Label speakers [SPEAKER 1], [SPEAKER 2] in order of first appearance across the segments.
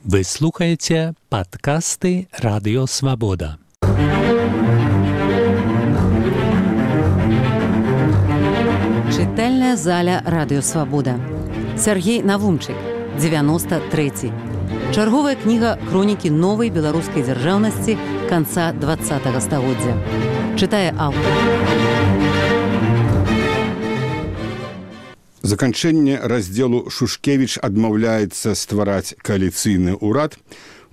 [SPEAKER 1] Вы слухаете подкасты «Радио Свобода».
[SPEAKER 2] Чытальная заля «Радио Свобода». Сергей Навумчык, 93. Чарговая кніга хронікі новай беларускай дзяржаўнасці канца 20-го стагоддзя. Чытае аўтар.
[SPEAKER 3] Заканчэнне раздзелу Шушкевіч адмаўляецца ствараць кааліцыйны ўрад,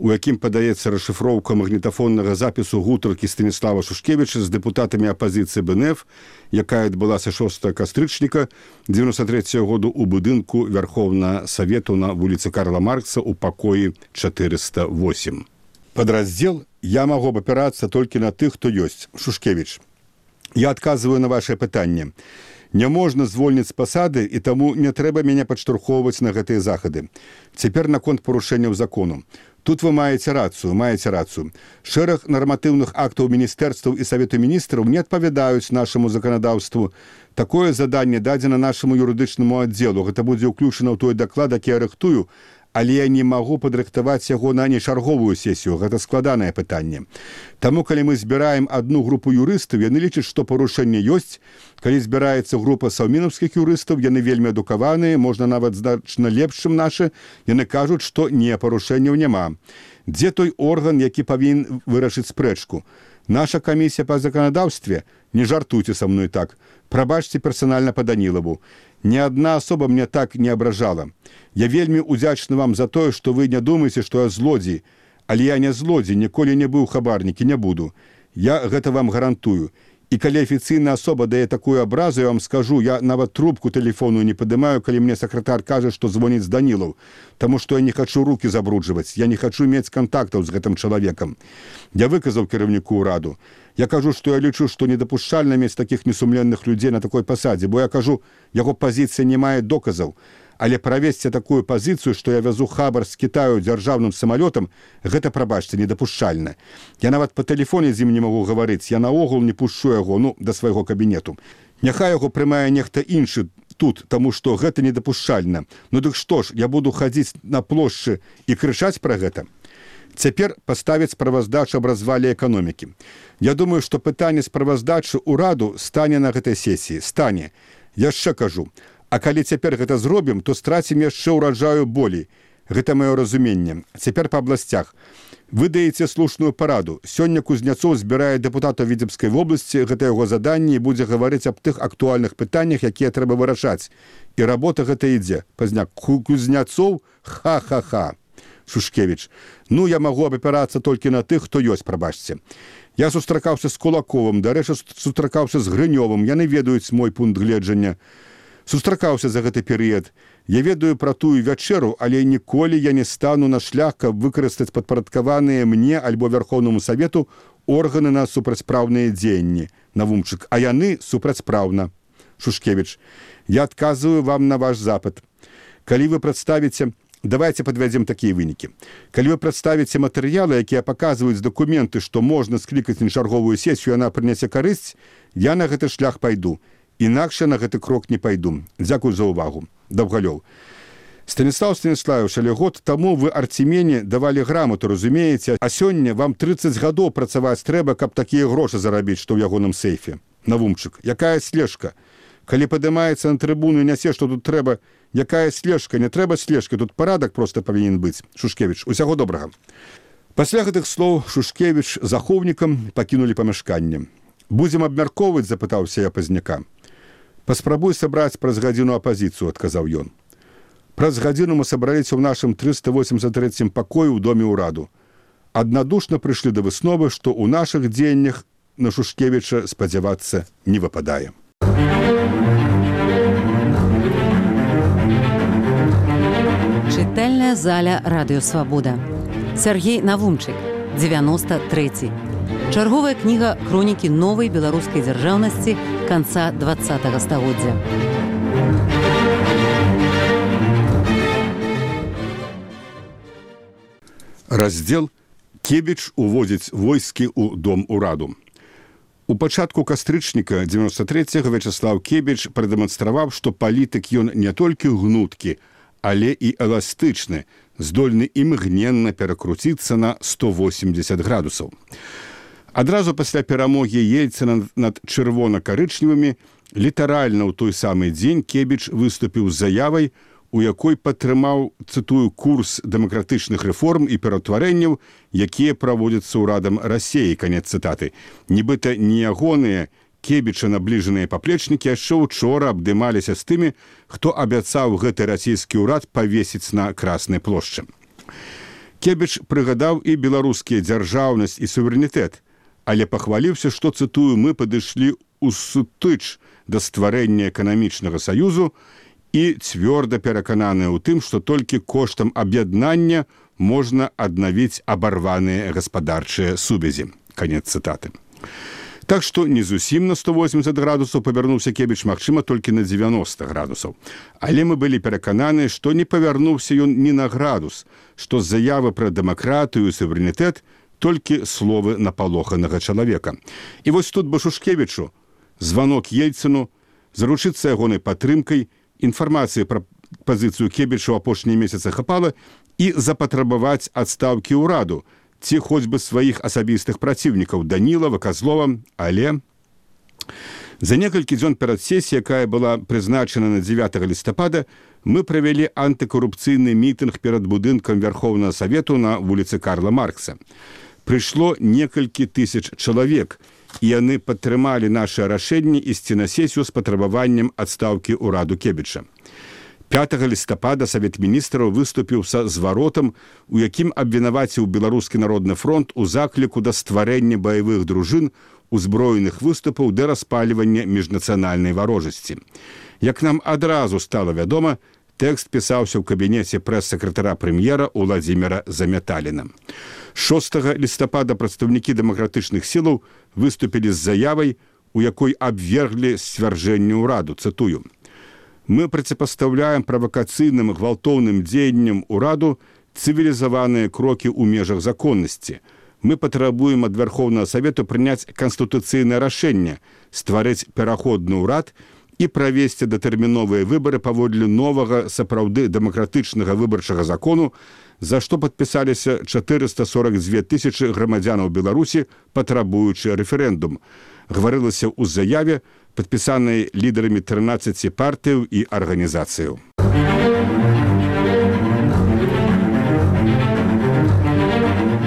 [SPEAKER 3] у якім падаецца расшыфроўка магнітафоннага запісу гутаркі Станіслава Шушкевіча з дэпутатамі апазіцыі БНФ, якая адбылася 6 кастрычніка 93 году ў будынку Вярхоўнага Савету на вуліцы Карла Маркса ў пакоі 408. Падраздзел «Я магу абапірацца толькі на тых, хто ёсць». Шушкевіч. Я адказваю на вашае пытанне. Не можна звольніць з пасады, і таму не трэба мяне падштурхоўваць на гэтыя захады. Цяпер наконт парушэнняў закону. Тут вы маеце рацыю. Шэраг нарматыўных актаў міністэрстваў і Савету міністраў не адпавядаюць нашаму заканадаўству. Такое заданне дадзена нашаму юрыдычнаму аддзелу. Гэта будзе ўключана ў той даклад, які я рыхтую, але я не магу падрыхтаваць яго на нечарговую сесію. Гэта складанае пытанне. Таму, калі мы збіраем адну групу юрыстаў, яны лічаць, што парушэнне ёсць. Калі збіраецца група саўмінаўскіх юрыстаў, яны вельмі адукаваныя, можна нават значна лепш, чым нашы, яны кажуць, што не, парушэнняў няма. Дзе той орган, які павінен вырашыць спрэчку? Наша камісія па заканадаўстве? Не жартуйце са мной так. Прабачце персанальна па Данілаву. Ні адна асоба мне так не абражала. Я вельмі удзячны вам за тое, што вы не думаеце, што я злодзей. Але я не злодзей, ніколі не быў хабарнік і не буду. Я гэта вам гарантую. І калі афіцыйная асоба дае такую абразу, я вам скажу, я нават трубку тэлефону не падымаю, калі мне сакратар кажа, што звоніць Данілаў, таму што я не хачу рукі забруджваць, я не хачу мець кантактаў з гэтым чалавекам. Я выказаў кіраўніку ўраду. Я кажу, што я лічу, што недапушчальна мець такіх несумленных людзей на такой пасадзе, бо я кажу, яго пазіцыя не мае доказаў. Але правесці такую пазіцыю, што я вязу хабар з Кітаю дзяржаўным самалётам, гэта, прабачце, недапушчальна. Я нават па тэлефоне з ім не магу гаварыць, я наогул не пушчу яго, да свайго кабінету. Няхай яго прымае нехта іншы тут, таму што гэта недапушчальна. Ну дык што ж, я буду хадзіць на плошчы і крычаць пра гэта? Цяпер паставіць справаздачу аб развале эканомікі. Я думаю, што пытанне справаздачы ўраду стане на гэтай сесіі. Стане. Яшчэ кажу. А калі цяпер гэта зробім, то страцім яшчэ ўраджаю болей. Гэта маё разуменне. Цяпер па абласцях. Вы даеце слушную параду. Сёння Кузняцоў збірае дэпутатаў Віцебскай вобласці, гэта яго заданне, і будзе гаварыць аб тых актуальных пытаннях, якія трэба вырашаць. І работа гэта ідзе. Пазняк. Кузняцоў? Ха-ха-ха. Шушкевіч. Ну, я магу абапірацца толькі на тых, хто ёсць, прабачце. Я сустракаўся з Кулаковым, дарэчы, сустракаўся з Грынёвым. Яны ведаюць мой пункт гледжання. Сустракаўся за гэты перыяд. Я ведаю пра тую вячэру, але ніколі я не стану на шлях, каб выкарыстаць падпарадкаваныя мне альбо Вярхоўнаму Савету органы на супрацьпраўныя дзеянні. Навумчык. А яны супрацьпраўна. Шушкевіч. Я адказваю вам на ваш запыт. Калі вы прадставіце... Давайте падвядзем такія вынікі. Калі вы прадставіце матэрыялы, якія паказваюць дакументы, што можна склікаць нечарговую сесію, яна прынясе карысць, я на гэты шлях пайду. Інакш на гэты крок не пайду. Дзякую за ўвагу. Даўгалёў. Станіслав Станіславович, але год таму вы Арцімене давалі грамату, разумееце, а сёння вам 30 гадоў працаваць трэба, каб такія грошы зарабіць, што ў ягоным сейфе. Навумчык. Якая слежка? Калі падымаецца на трыбуну і нясе, што тут трэба, якая слежка? Не трэба слежкі, тут парадак проста павінен быць. Шушкевіч. Усяго добрага. Пасля гэтых слоў Шушкевіч з ахоўнікам пакінулі памяшканне. Будзем абмяркоўваць, запытаўся я Пазняка. Паспрабуй сабраць праз гадзіну апазіцыю, адказаў ён. Праз гадзіну мы сабраліся ў нашым 383 пакоі ў доме ўраду. Аднадушна прыйшлі да высновы, што ў нашых дзеяннях на Шушкевіча спадзявацца не выпадае.
[SPEAKER 2] Чытальная заля «Радио Свобода». Сергей Навумчык, 93. Чарговая кніга хронікі новай беларускай дзяржаўнасці канца 20-го стагоддзя.
[SPEAKER 3] Раздзел «Кебіч уводзіць войскі ў дом ураду». У пачатку кастрычніка 93-го Вячаслаў Кебіч прадэманстраваў, што палітык ён не толькі гнуткі, але і эластычны, здольны імгненна перакруціцца на 180 градусаў. Адразу пасля перамогі Ельцына над чырвона-карычневымі літаральна ў той самы дзень Кебіч выступіў з заявай, у якой падтрымаў, цытую, курс дэмакратычных рэформ і пераўтварэнняў, якія праводзяцца ўрадам Расіі, канец цытаты. Нібыта не ягоныя Кебіча набліжаныя паплечнікі яшчэ учора абдымаліся з тымі, хто абяцаў гэты расійскі ўрад павесіць на Краснай плошчы. Кебіч прыгадаў і беларускія дзяржаўнасць і суверэнітэт, але пахваліўся, што, цытую, мы падышлі ўсутыч да стварэння эканамічнага саюзу і цвёрда перакананыя ў тым, што толькі коштам аб'яднання можна аднавіць абарваныя гаспадарчыя сувязі. Канец цытаты. Так што не зусім на 180 градусаў павярнуўся Кебіч, магчыма, толькі на 90 градусаў. Але мы былі перакананыя, што не павярнуўся ён ні на градус, што з заявы пра дэмакратыю і суверэнітэт толькі словы напалоханага чалавека. І вось тут бы Шушкевічу званок Ельцыну, заручыцца ягонай падтрымкай, інфармацыі пра пазіцыю Кебіча ў апошнія месяцы хапала і запатрабаваць адстаўкі ўраду, ці хоць бы сваіх асабістых праціўнікаў Данілава, Казлова, але за некалькі дзён перад сесіяй, якая была прызначана на 9 лістапада, мы правялі антыкарупцыйны мітынг перад будынкам Вярхоўнага Савету на вуліцы Карла Маркса. Прыйшло некалькі тысяч чалавек, і яны падтрымалі наша рашэнне ісці на сесію з патрабаваннем адстаўкі ўраду Кебіча. 5 лістапада Савет міністраў выступіў са зваротам, у якім абвінаваціў Беларускі народны фронт у закліку да стварэння баявых дружын, узброеных выступаў да распальвання міжнацыянальнай варожасці. Як нам адразу стала вядома, тэкст пісаўся ў кабінеце прэс-сакратара прэм'ера Уладзіміра Замяталіна. 6 лістапада прадстаўнікі дэмакратычных сілаў выступілі з заявай, у якой абверглі сцвярджэнне ўраду, цытую. Мы проціпастаўляем правакацыйным гвалтоўным дзеянням ўраду цывілізаваныя крокі ў межах законнасці. Мы патрабуем ад Вярхоўнага Савету прыняць канстытуцыйнае рашэнне, стварыць пераходны ўрад і правесці датэрміновыя выбары паводле новага сапраўды дэмакратычнага выбарчага закону, за што падпісаліся 442 тысячы грамадзянаў Беларусі, патрабуючы рэферэндум. Гаварылася ў заяве, падпісанай лідарамі 13 партыяў і арганізацыяў.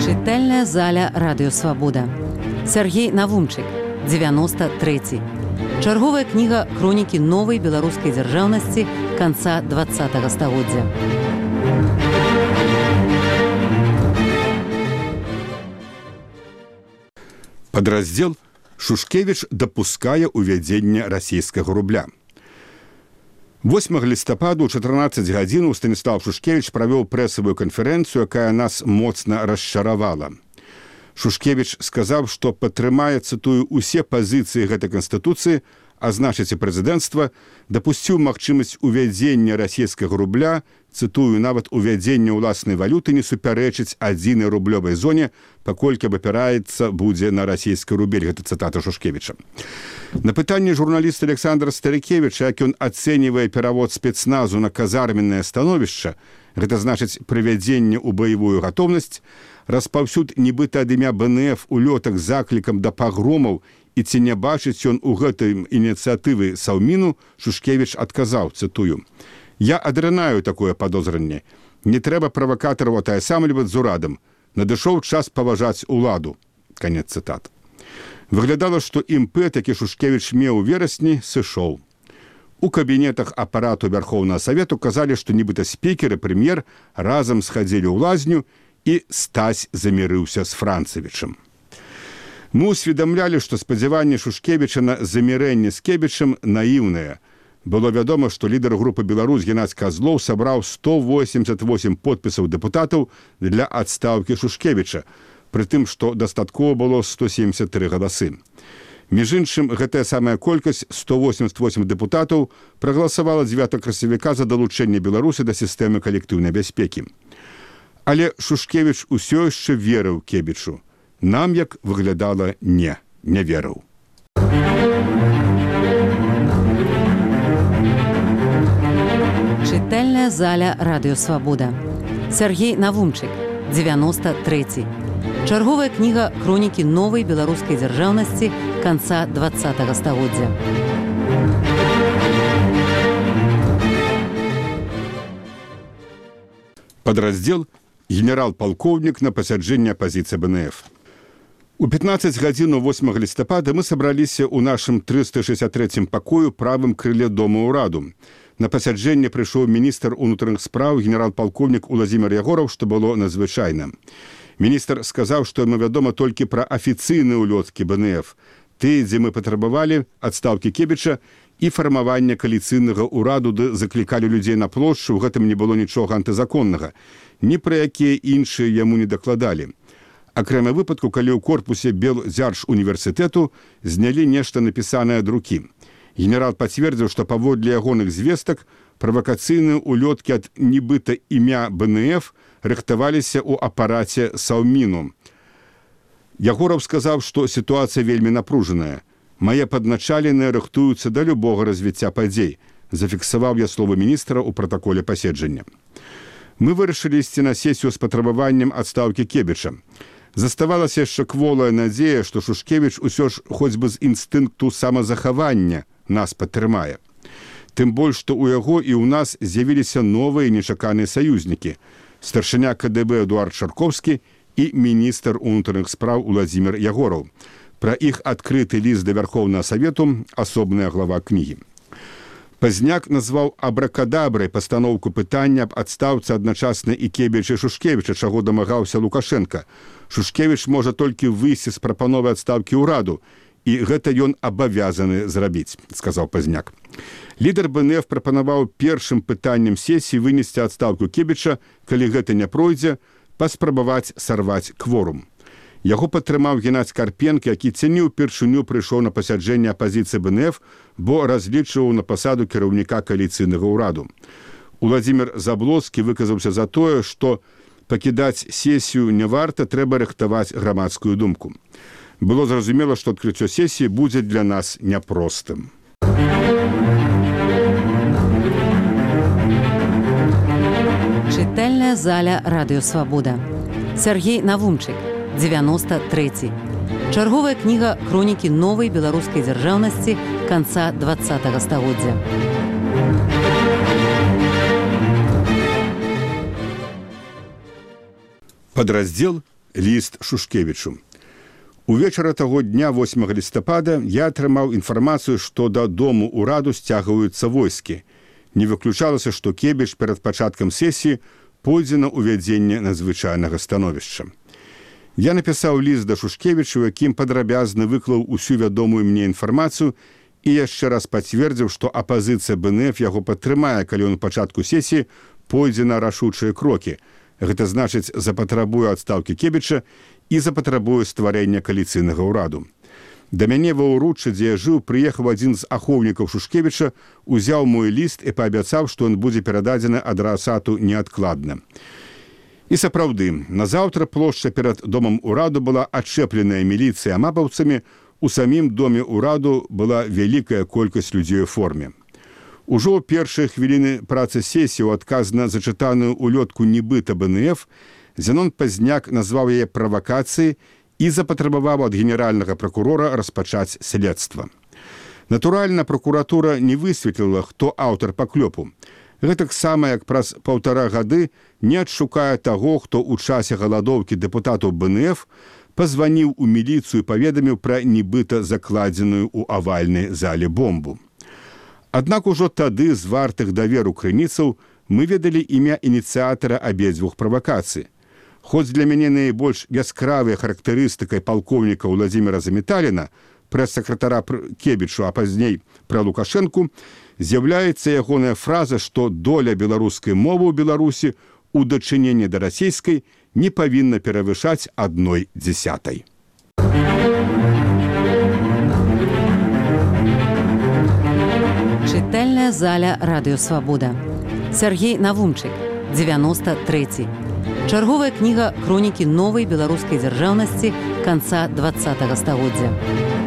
[SPEAKER 2] Чытальная заля Радыё Свабода. Сергей Навумчык, 93. Чарговая кніга хронікі новай беларускай дзяржаўнасці канца 20-го стагоддзя.
[SPEAKER 3] Падраздзел Шушкевіч дапускае ўвядзення расійскага рубля. 8 лістападу ў 14 гадзінаў Станіслав Шушкевіч правёў прэсавую канферэнцыю, якая нас моцна расчаравала. Шушкевіч сказаў, што падтрымае, цытую, усе пазіцыі гэтай канстытуцыі, а значыць і прэзідэнцтва, дапусціў магчымасць увядзення расійскага рубля, цытую, нават увядзення ўласнай валюты не супярэчыць адзінай рублёвай зоне, паколькі абапіраецца будзе на расійскі рубель. Гэта цытата Шушкевіча. На пытанне журналіста Александра Старыкевіча, як ён ацэньвае перавод спецназу на казарменнае становішча, гэта значыць прывядзенне ў баявую гатоўнасць, распаўсюд нібыта ад імя БНФ улётак з заклікам да пагромаў, і ці не бачыць ён у гэтай ініцыятывы Саўміну, Шушкевіч адказаў, цытую, «Я адрынаю такое падозранне. Не трэба правакатараў атаясамліваць з урадам. Надышоў час паважаць уладу». Канец цытат. Выглядала, што імпэт, які Шушкевіч меў у верасні, сышоў. У кабінетах апарату Вярхоўнага Савету казалі, што нібыта спікер і прэм'ер разам схадзілі ў лазню і Стась замірыўся з Францавічам. Мы усведамлялі, што спадзяванне Шушкевіча на замірэнне з Кебічам наіўнае. Было вядома, што лідар групы «Беларусь» Геннадзь Казлоў сабраў 188 подпісаў дэпутатаў для адстаўкі Шушкевіча, пры тым, што дастаткова было 173 галасы. Між іншым, гэтая самая колькасць, 188 дэпутатаў, прагаласавала 9 красавіка за далучэнне Беларусі да сістэмы калектыўнай бяспекі. Але Шушкевіч усё яшчэ верыў Кебічу. Нам, як выглядала, не верыў.
[SPEAKER 2] Чытальная заля радыёвабода. Сяргей Навумчык, 93. Чарговая кніга хронікі новай беларускай дзяржаўнасці канца 20 стагоддзя.
[SPEAKER 3] Подраздел «Генерал-полковник на пасяджэнне апазіцыі БНФ». У 15 гадзін 8 лістапада мы сабраліся ў нашым 363 пакою правым крыле Дома ўраду. На пасяджэнне прыйшоў міністр унутраных спраў генерал-полковнік Уладзімір Ягораў, што было надзвычайна. Міністр сказаў, што яму вядома толькі пра афіцыйныя ўлёткі БНФ, тыя, дзе мы патрабавалі адстаўкі Кебіча і фармавання кааліцыйнага ўраду, ды заклікалі людзей на плошчу, у гэтым не было нічога антызаконнага. Ні пра якія іншыя яму не дакладалі. Акрамя выпадку, калі ў корпусе Белдзяржуніверсітэту знялі нешта напісанае ад рукі. Генерал пацвердзіў, што паводле ягоных звестак правакацыйныя ўлёткі ад нібыта імя БНФ рыхтаваліся ў апараце Саўміну. Ягораў сказаў, што сітуацыя вельмі напружаная. «Мае падначаленыя рыхтуюцца да любога развіцця падзей», зафіксаваў я словы міністра ў пратаколе паседжання. Мы вырашылі ісці на сесію з патрабаваннем адстаўкі Кебіча. Заставалася яшчэ кволая надзея, што Шушкевіч усё ж хоць бы з інстынкту самазахавання нас падтрымае. Тым больш, што ў яго і ў нас з'явіліся новыя нечаканыя саюзнікі – старшыня КДБ Эдуард Шарковскі і міністр унутраных спраў Уладзімір Ягораў. Пра іх адкрыты ліст да Вярхоўнага Савету – асобная глава кнігі. Пазняк назваў абракадабрай пастаноўку пытання аб адстаўцы адначасна і Кебіча і Шушкевіча, чаго дамагаўся Лукашенка. Шушкевіч можа толькі выйсці з прапановай адстаўкі ўраду, і гэта ён абавязаны зрабіць, сказаў Пазняк. Лідар БНФ прапанаваў першым пытаннем сесіі вынесці адстаўку Кебіча, калі гэта не пройдзе, паспрабаваць сарваць кворум. Яго падтрымаў Геннадзь Карпенко, які ці ўпершыню прыйшоў на пасяджэнне апазіцыі БНФ, бо разлічваў на пасаду кіраўніка кааліцыйнага ўраду. Уладзімір Заблоцкі выказаўся за тое, што пакідаць сесію не варта, трэба рыхтаваць грамадскую думку. Было зразумела, што адкрыццё сесіі будзе для нас няпростым.
[SPEAKER 2] Чытальная заля радыёвабода. Сяргей Навумчык, 93. Чарговая кніга хронікі новай беларускай дзяржаўнасці канца 20 стагоддзя.
[SPEAKER 3] Падраздзел «Ліст Шушкевічу». Увечара таго дня 8 лістапада я атрымаў інфармацыю, што да Дому ўраду сцягваюцца войскі. Не выключалася, што Кебіч перад пачаткам сесіі пойдзе на ўвядзенне надзвычайнага становішча. Я напісаў ліст да Шушкевіча, у якім падрабязна выклаў усю вядомую мне інфармацыю і яшчэ раз пацвердзіў, што апазіцыя БНФ яго падтрымае, калі ён у пачатку сесіі пойдзе на рашучыя крокі. Гэта значыць, запатрабуе адстаўкі Кебіча і запатрабуе стварэння кааліцыйнага ўраду. Да мяне ва ўруччы, дзе я жыў, прыехаў адзін з ахоўнікаў Шушкевіча, узяў мой ліст і паабяцаў, што ён будзе перададзены адрасату неадкладна. І сапраўды, назаўтра плошча перад Домам ўраду была адчэпленая міліцыя амапаўцамі, у самім Доме ўраду была вялікая колькасць людзей у форме. Ужо ў першыя хвіліны працы сесіі ў адказ на зачытаную ўлётку нібыта БНФ Зенон Пазняк назваў яе правакацыяй і запатрабаваў ад генеральнага пракурора распачаць следства. Натуральна, пракуратура не высветліла, хто аўтар паклёпу. Гэтаксама, як праз 1,5 гады не адшукае таго, хто ў часе галадоўкі дэпутатаў БНФ пазваніў у міліцыю і паведаміў пра нібыта закладзеную ў авальнай зале бомбу. Аднак ужо тады з вартых даверу крыніцаў мы ведалі імя ініцыятара абедзвюх правакацый. Хоць для мяне найбольш яскравай характарыстыкай палкоўніка Уладзіміра Заметаліна, прэс-сакратара Кебічу, а пазней пра Лукашэнку, з'яўляецца ягоная фраза, што доля беларускай мовы ў Беларусі ў дачыненні да расійскай не павінна перавышаць 1/10.
[SPEAKER 2] Чытальная заля радыёвабода. Сяргей Навумчык, 93. Чарговая кніга хронікі новай беларускай дзяржаўнасці канца 20 стагоддзя.